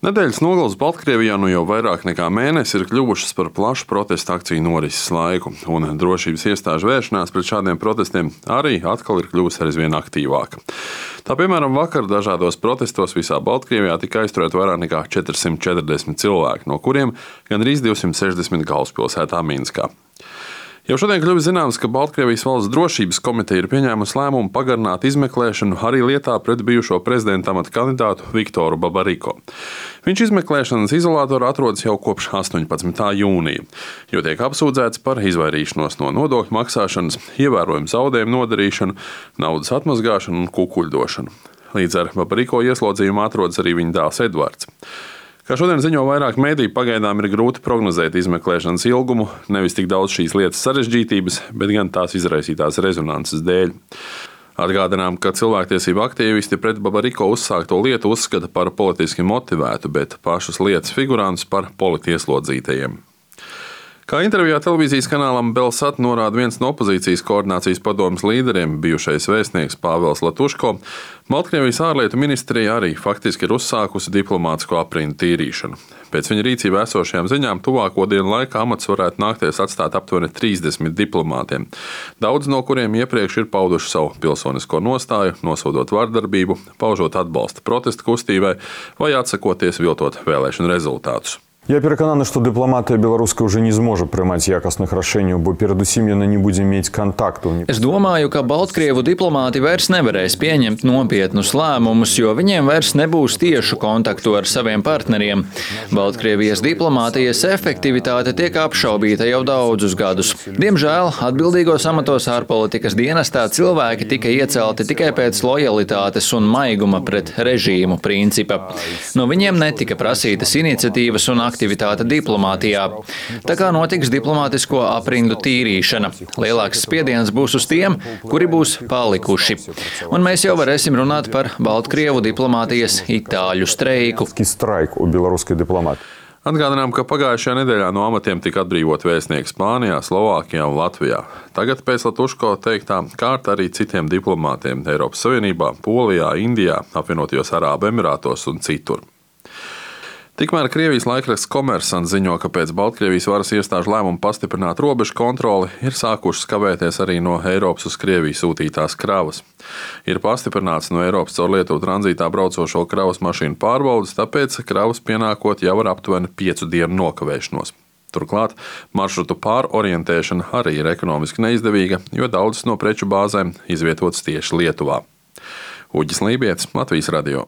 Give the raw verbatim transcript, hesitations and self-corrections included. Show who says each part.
Speaker 1: Nedēļas nogales Baltkrievijā nu jau vairāk nekā mēnesi ir kļuvušas par plašu protestu akciju norises laiku, un drošības iestāžu vēršanās pret šādiem protestiem arī atkal ir kļuvusi aizvien aktīvāka. Tā piemēram, vakar dažādos protestos visā Baltkrievijā tika aizturēti vairāk nekā četrsimt četrdesmit cilvēki, no kuriem gandrīz divsimt sešdesmit galvaspilsētā Minskā. Jau šodien kļuvis zināms, ka Baltkrievijas valsts drošības komiteja ir pieņēmusi lēmumu pagarināt izmeklēšanu arī lietā pret bijušo prezidenta amata kandidātu Viktoru Babariko. Viņš izmeklēšanas izolātorā atrodas jau kopš astoņpadsmitā jūnija, jo tiek apsūdzēts par izvairīšanos no nodokļu maksāšanas, ievērojumu zaudējumu nodarīšanu, naudas atmazgāšanu un kukuļdošanu. Līdz ar Babariko ieslodzījumu atrodas arī viņa dēls Edvards. Kā šodien ziņo vairāk mediju, pagaidām ir grūti prognozēt izmeklēšanas ilgumu, nevis tik daudz šīs lietas sarežģītības, bet gan tās izraisītās rezonances dēļ. Atgādinām, ka cilvēktiesību aktīvisti pret Babariko uzsākto lietu uzskata par politiski motivētu, bet pašus lietas figurantus par politieslodzītajiem. Kā intervijā televīzijas kanālam Belsat norāda viens no opozīcijas koordinācijas padomes līderiem, bijušais vēstnieks Pāvels Latuško, Baltkrievijas ārlietu ministrija arī faktiski ir uzsākusi diplomātisko aprindu tīrīšanu. Pēc viņa rīcībā esošajām ziņām tuvāko dienu laikā amats varētu nākties atstāt aptuveni trīsdesmit diplomātiem, daudz no kuriem iepriekš ir pauduši savu pilsonisko nostāju, nosodot vardarbību, paužot atbalstu protesta kustībai vai atsakoties viltot vēlēšanu rezultātus.
Speaker 2: Я переконана, что дипломатия белорусская уже не сможет принимать якостных решений, бо передусім яна не будзе мець контакту.
Speaker 3: Es domāju, ka Baltkrievu diplomāti vairs nevarēs pieņemt nopietnus lēmumus, jo viņiem vairs nebūs tiešu kontaktu ar saviem partneriem. Baltkrievijas diplomātijas efektivitāte tiek apšaubīta jau daudzus gadus. Diemžēl atbildīgos amatos ārpolitikas dienestā cilvēki tika iecelti tikai pēc lojalitātes un maiguma pret režīmu principa. No viņiem netika prasītas iniciatīvas un aktivitāte diplomātijā. Tā kā notiks diplomātisko aprindu tīrīšana. Lielāks spiediens būs uz tiem, kuri būs palikuši. Un mēs jau varēsim runāt par Baltkrievu diplomātijas itāļu streiku.
Speaker 1: Atgādinām, ka pagājušajā nedēļā no amatiem tika atbrīvot vēstnieki Spānijā, Slovākijā un Latvijā. Tagad pēc Latuško teiktā kārta arī citiem diplomātiem Eiropas Savienībā, Polijā, Indijā, Apvienotajos Arābu Emirātos un citur. Tikmēr Krievijas laikraksts Komersants ziņo, ka pēc Baltkrievijas varas iestāžu lēmuma pastiprināt robežu kontroli ir sākušas kavēties arī no Eiropas uz Krieviju sūtītās kravas. Ir pastiprināts no Eiropas caur Lietuvu tranzītā braucošo kravas mašīnu pārbaudes, tāpēc kravas pienākot jau ar aptuveni piecu dienu nokavēšanos. Turklāt maršrutu pārorientēšana arī ir ekonomiski neizdevīga, jo daudzas no preču bāzēm izvietotas tieši Lietuvā. Uģis Lībietis, Latvijas radio.